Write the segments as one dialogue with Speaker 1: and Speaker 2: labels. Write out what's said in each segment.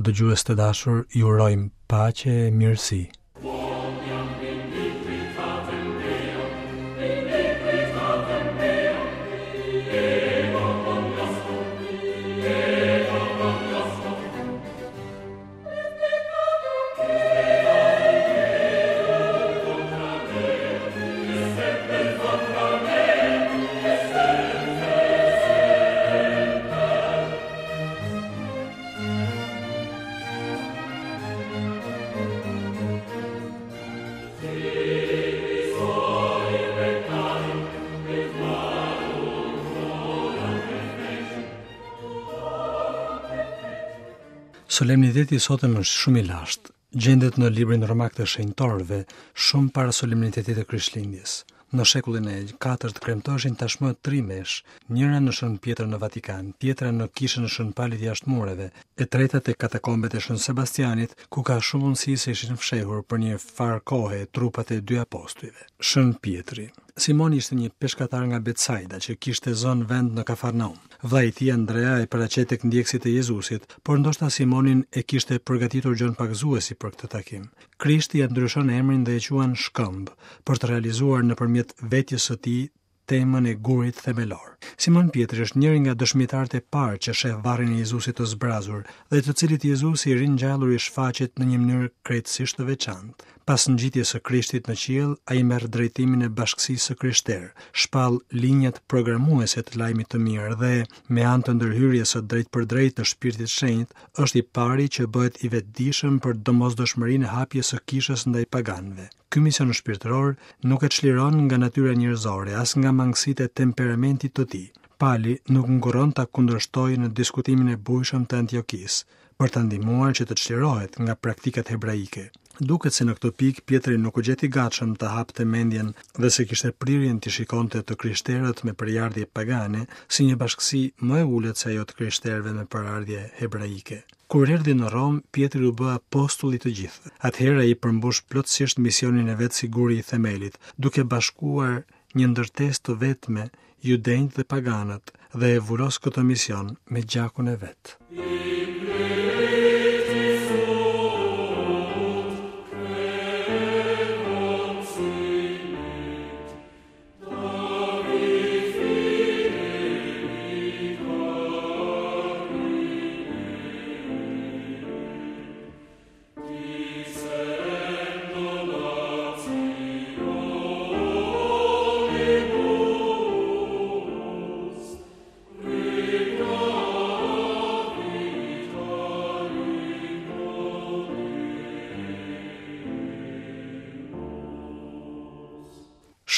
Speaker 1: Dëgjues të dashur, ju urojmë paqe e mirësi. Solemniteti i sotëm është shumë i lashtë. Gjendet në librin romak të shenjtorëve, shumë para solemnitetit të Krishtlindjes. Në shekullin e katërt kremtoheshin tashmë tri meshë, njëra në Shën Pjetër në Vatikan, tjetra në kishën e Shën Palit jashtë mureve, e treta te katakombet e Shën Sebastianit, ku ka shumë mundësi se ishin fshehur për një farë kohe trupat e dy apostujve. Shën Pjetri. Simoni ishte një peshkatar nga Betsaida që kishte zënë vend në Kafarnaum. Vëllai i tij Andrea e paraqet tek ndjekësit e Jezusit, por ndoshta Simonin e kishte përgatitur Gjon Pagëzuesi për këtë takim. Krishti ia ndryshon emrin dhe e quan Shkëmb, për të realizuar nëpërmjet vetjes së tij temën e gurit themelor. Simon Pjetri është njëri nga dëshmitarët e parë që sheh varrin e Jezusit të zbrazur dhe të cilit Jezusi i ringjallur i shfaqet në një mënyrë krejtësisht të veçantë. Pas ngjitjes së Krishtit në qiell, ai merr drejtimin e bashkësisë së krishterë, shpall linjat programuese të lajmit të mirë dhe, me anë të ndërhyrjes së drejtpërdrejtë të Shpirtit Shenjt, është i pari që bëhet i vetëdijshëm për domosdoshmërinë e hapjes së kishës ndaj paganëve. Ky mision shpirtëror nuk e çliron nga natyra njerëzore, as nga mangësitë e temperamentit të tij. Pali nuk ngurron ta kundërshtojë në diskutimin e bujshëm të Antiokisë, për ta ndihmuar që të çlirohet nga praktikat hebraike. Duket se në këtë pikë Pjetri nuk u gjet i gatshëm të hapte mendjen dhe se kishte prirjen t'i shikonte të krishterët me prejardhje pagane si një bashkësi më e ulët se ajo të krishterëve me prejardhje hebraike. Kur erdhi në Romë, Pjetri u bë apostull i të gjithëve. Atëherë ai përmbush plotësisht misionin e vet si guri i themelit, duke bashkuar një ndërtesë të vetme judenjtë dhe paganët dhe e vulos këtë mision me gjakun e vet.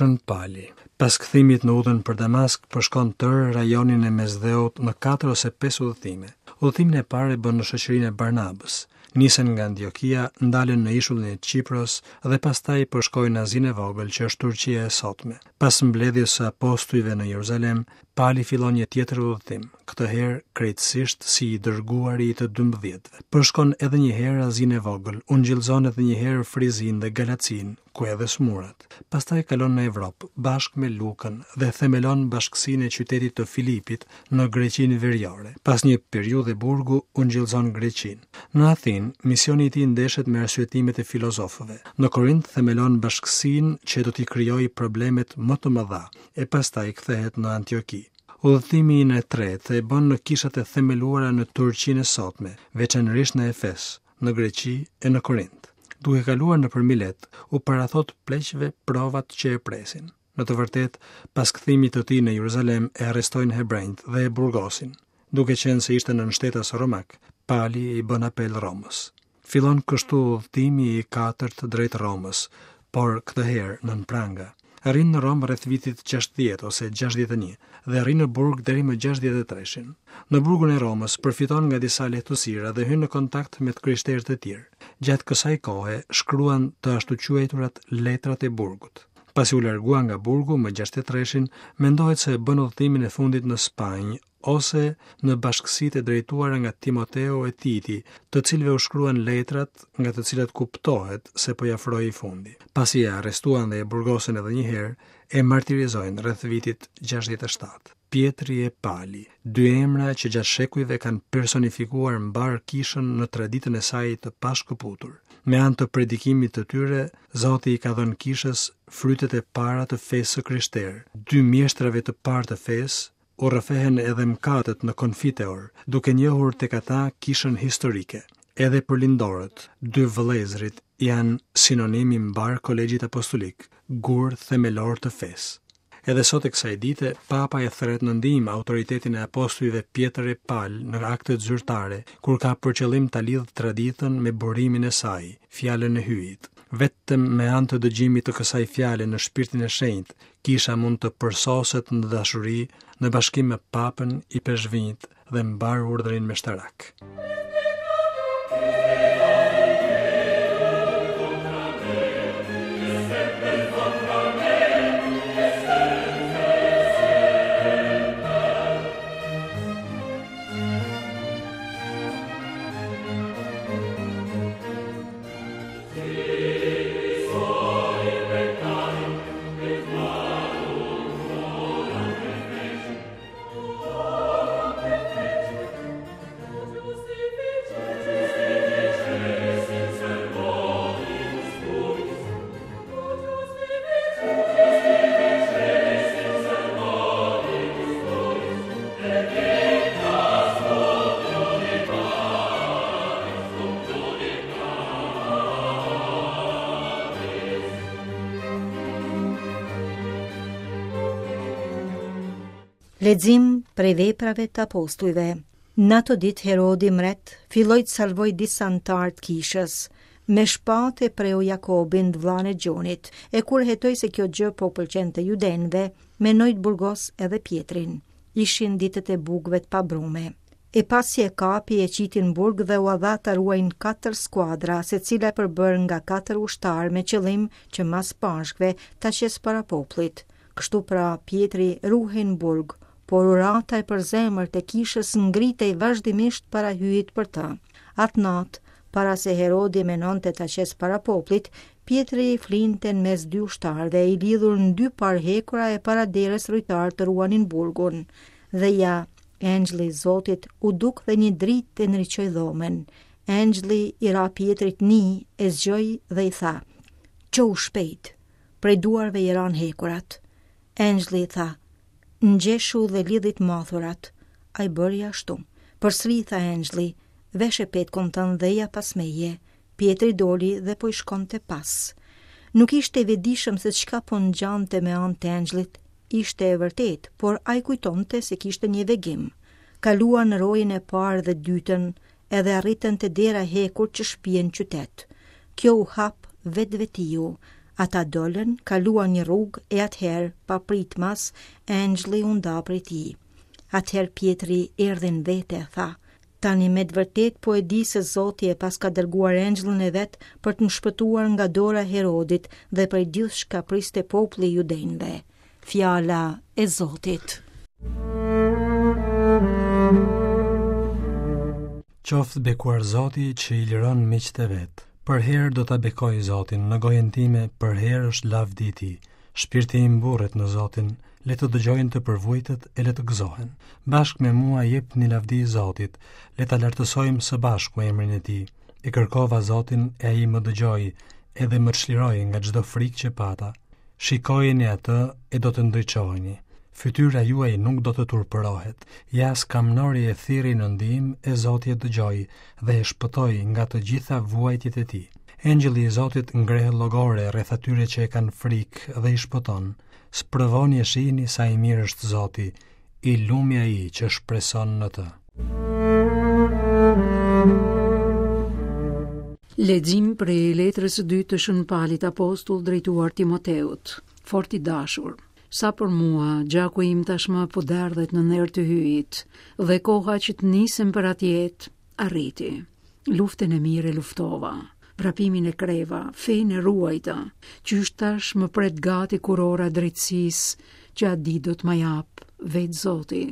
Speaker 1: Shën Pali. Pas kthimit në udhën për Damask, përshkon tërë rajonin e Mesdheut në 4 ose 5 udhëtime. Udhëtimin e parë e bën në shoqërinë e Barnabës. Nisen nga Antiokia, ndalen në ishullin e Qipros dhe pastaj përshkojnë Azinë e Vogël, që është Turqia e sotme. Pas mbledhjes së apostujve në Jeruzalem, Pali fillon një tjetër udhëtim, këtë herë krejtësisht si i dërguari i të dymbëdhjetëve. Përshkon edhe një herë Azinë e Vogël, ungjillëzon edhe një herë Frizinë dhe Galacinë, ku edhe sëmuret. Pastaj kalon në Evropë, bashkë me Lukën dhe themelon bashkësinë e qytetit të Filipit në Greqinë Veriore. Pas një periudhe burgu, ungjillëzon Greqinë. Në Athinë, misioni i tij ndeshet me arsyetimet e filozofëve. Në Korint themelon bashkësinë që do t'i krijojë problemet më të mëdha, e pastaj kthehet në Antioki. Udhëtimin e tretë e bën në kishat e themeluara në Turqinë e sotme, veçanërisht në Efes, në Greqi e në Korint. Duke kaluar nëpër Milet, u parathotë pleqve provat që e presin. Në të vërtetë, pas kthimit të tij në Jeruzalem e arrestojnë hebrenjtë dhe e burgosin. Duke qenë se ishte nënshtetas romak, Pali i bën apel Romës. Fillon kështu udhëtimi i katërt drejt Romës, por këtë herë nën pranga. Arrin në Romë rreth vitit 60 ose 61 dhe rri në burg deri më 63-shin. Në burgun e Romës përfiton nga disa lehtësira dhe hyn në kontakt me të krishterë të tjerë. Gjatë kësaj kohe shkruan të ashtuquajturat letrat e burgut. Pasi u largua nga burgu më 63-shin, mendohet se bën udhëtimin e fundit në Spanjë ose në bashkësitë e drejtuara nga Timoteu e Titi, të cilëve u shkruan letrat nga të cilat kuptohet se po i afrohej fundi. Pasi e arrestuan dhe e burgosën edhe një herë, e martirizojnë rreth vitit 67. Pjetri e Pali, dy emra që gjatë shekujve kanë personifikuar mbarë kishën në traditën e saj të pashkëputur. Me anë të predikimit të tyre, Zoti i ka dhënë kishës frytet e para të fesë së krishterë. Dy mjeshtrave të parë të fesë, u rrëfehen edhe mëkatet në Konfiteor, duke njohur tek ata kishën historike. Edhe për lindorët, dy vëllezërit janë sinonim i mbarë kolegjit apostolik, gur themelor të fesë. Edhe sot e kësaj dite, Papa e thërret në ndihmë autoritetin e apostujve Pjetër e Pal në aktet zyrtare, kur ka për qëllim ta lidhë traditën me burimin e saj, fjalën e Hyjit. Vetëm me anë të dëgjimit të kësaj fjale në Shpirtin e Shenjtë, Kisha mund të përsoset në dashuri, në bashkim me Papën, ipeshkvinjtë dhe mbarë urdhrin meshtarak.
Speaker 2: Lexim prej veprave të apostujve. Në ato ditë Herodi mret filloi të salvojë disa anëtarë të kishës. Me shpatë e preu Jakobin, të vëllanë e Gjonit, e kur hetoi se kjo gjë po u pëlqente judenjve, menoi të burgosë edhe Pjetrin. Ishin ditët e bukëve të pabrume. E pasi e kapi e qiti në burg dhe ua dha ta ruajnë katër skuadra, secila e përbërë nga katër ushtarë me qëllim që mas Pashkëve ta qesë para popullit. Kështu pra, Pjetri ruhej në burg, por urata e përzemërt e kishës ngritej vazhdimisht para Hyjit për të. Atë natë, para se Herodi menonte ta qesë para popullit, Pjetri flinte në mes dy ushtarëve, i lidhur në dy parë hekura e para derës rojtarët ruanin burgun. Dhe ja, Engjëlli i Zotit u duk dhe një dritë e ndriçoi dhomën. Engjëlli i ra Pjetrit n'ijë, e zgjoi dhe i tha: "Çohu shpejt." Prej duarve i ranë hekurat. Engjëlli i tha: "Ngjeshu dhe lidhi të mathurat." Ai bëri ashtu. Përsëri i tha engjëlli: "Veshe petkun tënd dhe eja pas meje." Pjetri doli dhe po i shkonte pas. Nuk ishte i vetëdijshëm se çka po ngjante me anë të engjëllit, ishte e vërtetë, por ai kujtonte se kishte një vegim. Kaluan rojen e parë dhe dytën, edhe arritën te dera e hekurt që shpie në qytet. Kjo u hap vetvetiu. Ata dolën, kaluan një rrugë e atëherë, papritmas, engjëlli u nda prej tij. Atëherë Pjetri erdhi në vete e tha, Tani me të vërtetë po e di se Zoti e paska dërguar engjëllin e vet për të më shpëtuar nga dora e Herodit dhe prej gjithçka priste populli i judenjve. Fjala e Zotit.
Speaker 1: Qoftë bekuar Zoti që i liron miqtë e vet. Përherë do ta bekoj Zotin, në gojën time përherë është lavdi i tij. Shpirti im mburret në Zotin, le të dëgjojnë të përvujtët e le të gëzohen. Bashkë me mua jepni lavdi Zotit, le ta lartësojmë së bashku emrin e tij. E kërkova Zotin e ai më dëgjoi, edhe më çliroi nga çdo frikë që pata. Shikojeni atë e do të ndriçoheni. Fytyra juaj nuk do të turpërohet. Ja skamnori e thirri në ndihmë e Zoti e dëgjoi dhe e shpëtoi nga të gjitha vuajtjet e tij. Engjëlli i Zotit ngreh llogore rreth atyre që e kanë frikë dhe i shpëton. Sprovoni e shihni sa i mirë është Zoti, i lumi ai që shpreson në
Speaker 3: të. Lexim prej letrës së dytë të Shën Palit Apostull drejtuar Timoteut. Fort i dashur, sa për mua, gjaku im tashmë po derdhet në nder të Hyjit, dhe koha që të nisem për atë jetë arriti. Luftën e mirë e luftova, vrapimin e kreva, fenë e ruajta, qysh tash më pret gati kurora e drejtësisë që atë ditë do të ma japë vetë Zoti,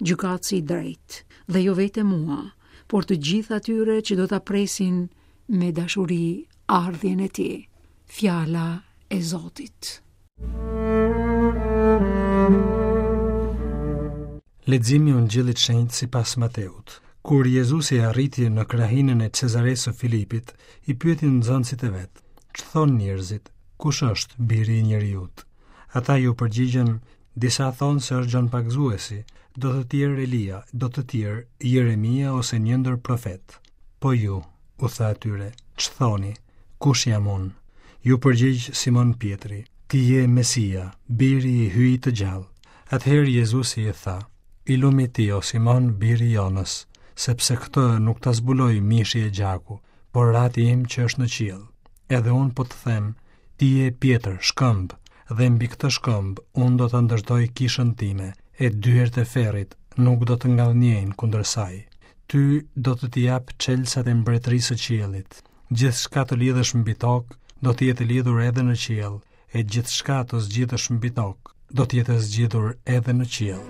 Speaker 3: gjykatësi i drejtë, dhe jo vetëm mua, por të gjithë atyre që do ta presin me dashuri ardhjen e tij. Fjala e Zotit.
Speaker 1: Leximi i Ungjillit të Shenjtë sipas Mateut. Kur Jezusi arriti në krahinën e Cezaresë së Filipit, i pyeti nxënësit e vet: "Ç'thonë njerëzit? Kush është biri i njeriut?" Ata iu përgjigjën: "Disa thonë se është Gjon Pagëzuesi, do të tjerë Elia, do të tjerë Jeremia ose një ndër profetët." Po ju, u tha atyre, ç'thoni? Kush jam unë? Iu përgjigj Simon Pjetri: Ti je Mesia, biri i Hyjit të gjallë. Atëherë Jezusi i tha, I lumi ti, o Simon, biri i Jonës, sepse këtë nuk ta zbuloi mishi e gjaku, por Ati im që është në qiell. Edhe unë po të them, ti je Pjetër, shkëmb, dhe mbi këtë shkëmb unë do ta ndërtoj kishën time, e dyert e ferrit nuk do të ngadhënjejnë kundër saj. Ty do të t'i jap çelësat e mbretërisë së qiellit. Gjithçka të lidhësh mbi tokë, do të jetë e lidhur edhe në qiell, e gjithçka të zgjidhësh mbi tokë, do të jetë e zgjidhur edhe në qiell.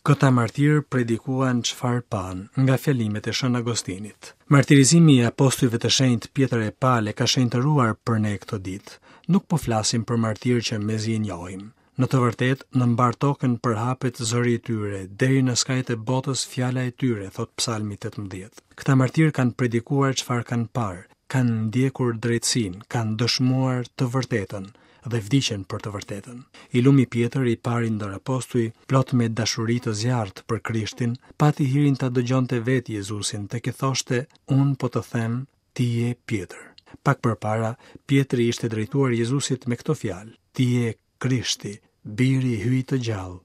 Speaker 1: Këta martirë predikuan çfarë panë nga fjalimet e Shën Agostinit. Martirizimi i apostujve të shenjtë Pjetër e Pal e ka shenjtëruar për ne këtë ditë. Nuk po flasim për martirë që mezi i njohim. Në të vërtetë, në mbarë tokën përhapet zëri i tyre, deri në skajet e botës fjala e tyre, thotë Psalmi 18. Këta martirë kanë predikuar çfarë kanë parë, kanë ndjekur drejtësinë, kanë dëshmuar të vërtetën dhe vdiqën për të vërtetën. I lumi Pjetër, i pari ndër apostuj, plot me dashuri të zjarrtë për Krishtin, pati hirin ta dëgjonte vetë Jezusin tek i thoshte, unë po të them, ti je Pjetër. Pak përpara, Pjetri i ishte drejtuar Jezusit me këto fjalë, ti je Krishti, biri i Hyjit të gjallë.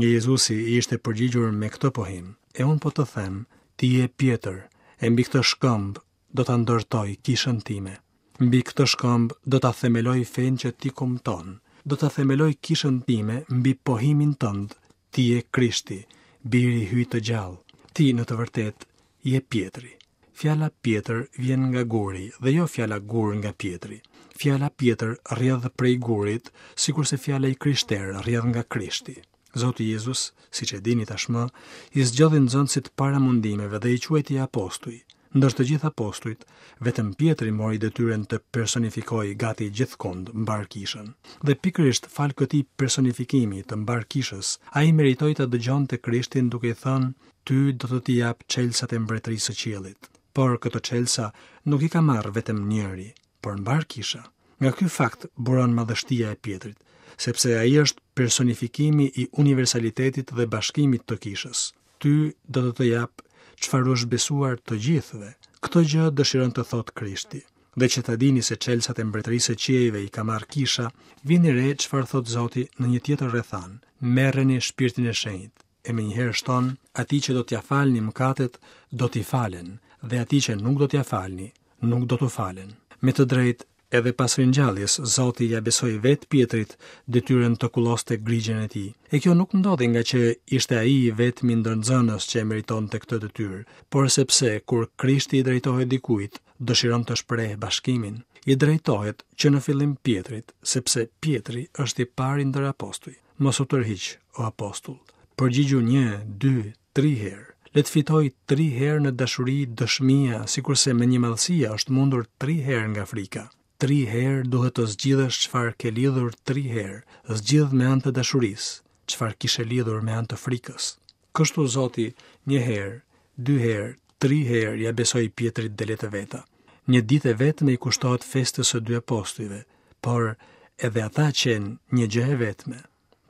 Speaker 1: E Jezusi i ishte përgjigjur me këtë pohim, e unë po të them, ti je Pjetër, e mbi këtë shkëmb do ta ndërtoj kishën time. Mbi këtë shkëmb do ta themeloj fenë që ti kumton. Do ta themeloj kishën time mbi pohimin tënd, ti je Krishti, biri i Hyjit të gjallë. Ti në të vërtetë je Pjetri. Fjala Pjetër vjen nga guri dhe jo fjala gur nga Pjetri. Fjala Pjetër rrjedh prej gurit, sikurse fjala i krishterë rrjedh nga Krishti. Zoti Jezus, siç e dini tashmë, i zgjodhi nxënësit para mundimeve dhe i quajti apostuj. Ndër të gjithë apostujt, vetëm Pjetri mori detyrën të personifikojë gati gjithkund mbarë kishën. Dhe pikërisht falë këtij personifikimi të mbarë kishës, ai meritoi ta dëgjonte Krishtin duke i thënë, Ty do të t'i jap çelësat e mbretërisë së qiellit. Por këto çelësa nuk i ka marrë vetëm njëri, por mbarë kisha. Nga ky fakt buron madhështia e Pjetrit, sepse ai është personifikimi i universalitetit dhe bashkimit të kishës. Ty do të të jap çfarë u është besuar të gjithëve. Këtë gjë dëshiron të thotë Krishti. Dhe që ta dini se çelësat e mbretërisë së qiejve i ka marrë kisha, vini re çfarë thotë Zoti në një tjetër rrethanë. Merreni shpirtin e shenjtë. E menjëherë shton, atij që do t'ia falni mëkatet, do t'i falen, dhe atij që nuk do t'ia falni, nuk do t'u falen. Me të drejtë, edhe pas ringjalljes, Zoti ia besoi vetë Pjetrit detyrën të kulloste grigjën e tij. E kjo nuk ndodhi ngaqë ishte ai i vetmi ndër nxënës që e meritonte këtë detyrë, por sepse kur Krishti i drejtohet dikujt, dëshiron të shprehë bashkimin. I drejtohet që në fillim Pjetrit, sepse Pjetri është i pari ndër apostuj. Mos u tërhiq, o apostull. Përgjigju një, dy, tri herë. Le të fitojë tri herë në dashuri dëshmia, sikurse mendjemadhësia është mundur tri herë nga frika. Tri herë duhet të zgjidhësh çfarë ke lidhur tri herë, zgjidh me anë të dashurisë, çfarë kishe lidhur me anë të frikës. Kështu Zoti një herë, dy herë, tri herë ia besoi Pjetrit delet e veta. Një ditë e vetme i kushtohet festës së dy apostujve, por edhe ata qenë një gjë e vetme.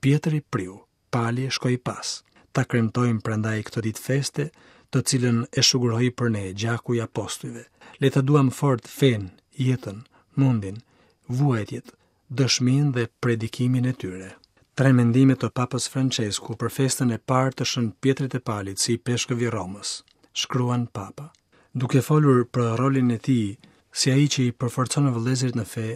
Speaker 1: Pjetri priu, Pali shkoi pas. Ta kremtojmë prandaj këtë ditë feste, të cilën e shuguroi për ne gjaku i apostujve. Le ta duam fort fenë, jetën, mundin, vuajtjet, dëshminë dhe predikimin e tyre. Tre mendime të Papës Françesku për festën e parë të Shën Pjetrit e Palit si ipeshkëv i Romës, shkruan Papa. Duke folur për rolin e tij si ai që i përforcon vëllezërit në fe,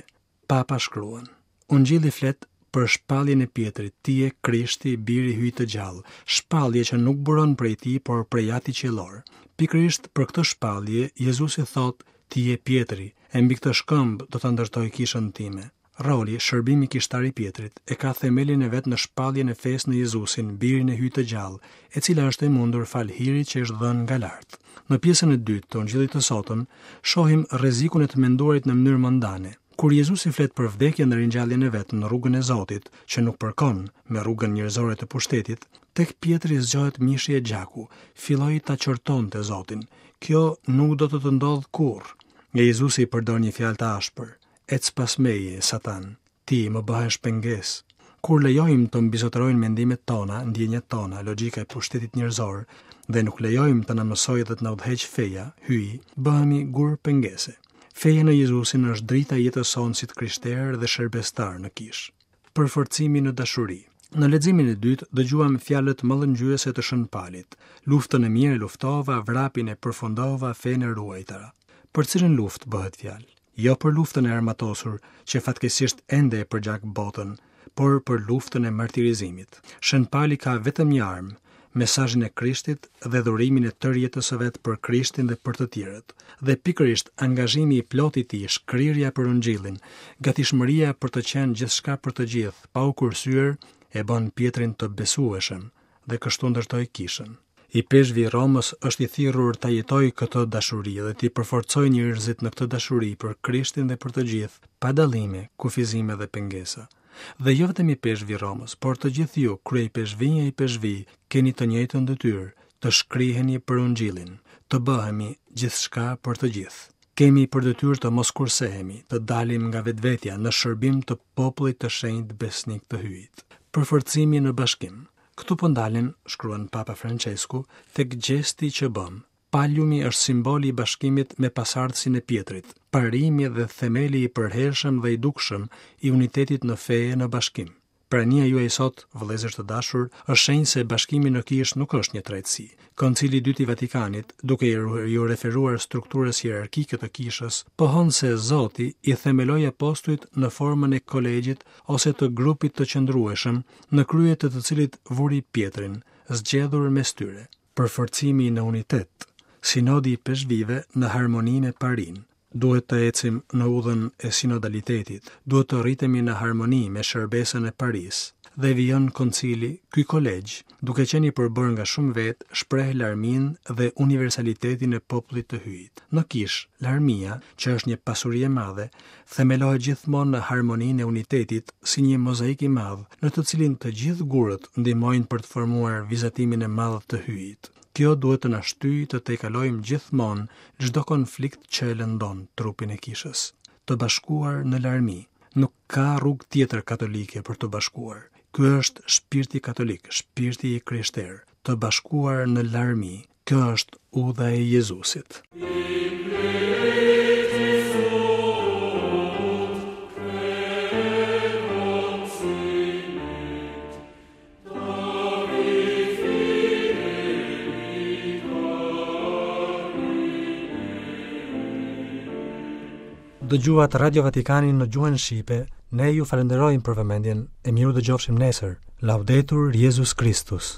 Speaker 1: Papa shkruan: Ungjilli flet për shpalljen e Pjetrit, ti je Krishti, biri i Hyjit të gjallë, shpallje që nuk buron prej tij, por prej Atit qiellor. Pikërisht për këtë shpallje, Jezusi thotë, ti je Pjetri, e mbi këtë shkëmb do ta ndërtoj kishën time. Roli, shërbimi kishtar i Pjetrit, e ka themelin e vet në shpalljen e fesë në Jezusin, Birin e Hyjit të gjallë, e cila është e mundur falë hirit që është dhënë nga lart. Në pjesën e dytë të Ungjillit të sotëm, shohim rrezikun e të menduarit në mënyrë mondane. Kur Jezusi flet për vdekjen dhe ringjalljen e vet në rrugën e Zotit, që nuk përkon me rrugën njerëzore të pushtetit, tek Pjetri zgjohet mishi e gjaku, filloi ta qortonte Zotin. Kjo nuk do të të ndodhë kurrë. E Jezusi i përdor një fjalë të ashpër. Ec pas meje, Satan, ti më bëhesh pengesë. Kur lejojmë të mbizotërojnë mendimet tona, ndjenjat tona, logjika e pushtetit njerëzor dhe nuk lejojmë të na mësojë dhe të na udhëheqë feja, Hyji, bëhemi gur pengese. Feja në Jezusin është drita e jetës sonë si të krishterë dhe shërbestarë në kishë. Përforcimi në dashuri. Në leximin e dytë dëgjuam fjalët mallëngjyese të Shën Palit. Luftën e mirë e luftova, vrapin e përfundova, fenë e ruajta. Për cilën luftë bëhet fjalë? Jo për luftën e armatosur, që fatkeqësisht ende e përgjak botën, por për luftën e martirizimit. Shën Pali ka vetëm një armë, mesazhin e Krishtit dhe dhurimin e tërë jetës së vet për Krishtin dhe për të tjerët. Dhe pikërisht angazhimi i plotë i tij, shkrirja për Ungjillin, gatishmëria për të qenë gjithçka për të gjithë, pa u kursyer, e bën Pjetrin të besueshëm dhe kështu ndërtoi kishën. Ipeshkvi i Romës është i thirrur ta jetojë këtë dashuri dhe t'i përforcojë njerëzit në këtë dashuri për Krishtin dhe për të gjithë, pa dallime, kufizime dhe pengesa. Dhe jo vetëm ipeshkvi i Romës, por të gjithë ju, kryeipeshkvinj e ipeshkvij, keni të njëjtën detyrë, të shkriheni për Ungjillin, të bëhemi gjithçka për të gjithë. Kemi për detyrë të mos kursehemi, të dalim nga vetvetja në shërbim të popullit të shenjtë besnik të Hyjit. Përforcimi në bashkim. Këtu po ndalem, shkruan Papa Françesku, tek gjesti që bëmë. Paliumi është simboli i bashkimit me pasardhësin e Pjetrit, parimi dhe themeli i përhershëm dhe i dukshëm i unitetit në fe e në bashkim. Prania juaj sot, vëllezër të dashur, është shenjë se bashkimi në kishë nuk është një tretësi. Koncili i Dytë i Vatikanit, duke iu referuar strukturës hierarkike të kishës, pohon se Zoti i themeloi apostujt në formën e kolegjit ose të grupit të qëndrueshëm, në krye të të cilit vuri Pjetrin, zgjedhur mes tyre. Përforcimi në unitet, Sinodi i Ipeshkvijve në harmoni me parinë. Duhet të ecim në udhën e sinodalitetit, duhet të rritemi në harmoni me shërbesën e parisë. Dhe vijon koncili, ky kolegj, duke qenë i përbërë nga shumë vetë, shpreh larminë dhe universalitetin e popullit të Hyjit. Në kishë, larmia, që është një pasuri e madhe, themelohet gjithmonë në harmoninë e unitetit si një mozaik i madh, në të cilin të gjithë gurët ndihmojnë për të formuar vizatimin e madh të Hyjit. Kjo duhet të na shtyjë të tejkalojmë gjithmonë çdo konflikt që e lëndon trupin e kishës. Të bashkuar në larmi, nuk ka rrugë tjetër katolike për t'u bashkuar. Ky është shpirti katolik, shpirti i krishterë, të bashkuar në larmi, Kjo është udha e Jezusit. Dëgjuat Radio Vatikanin në gjuhën shqipe, ne ju falënderojmë për vëmendjen e mirudëgjofshim nesër. Laudetur Jezus Kristus.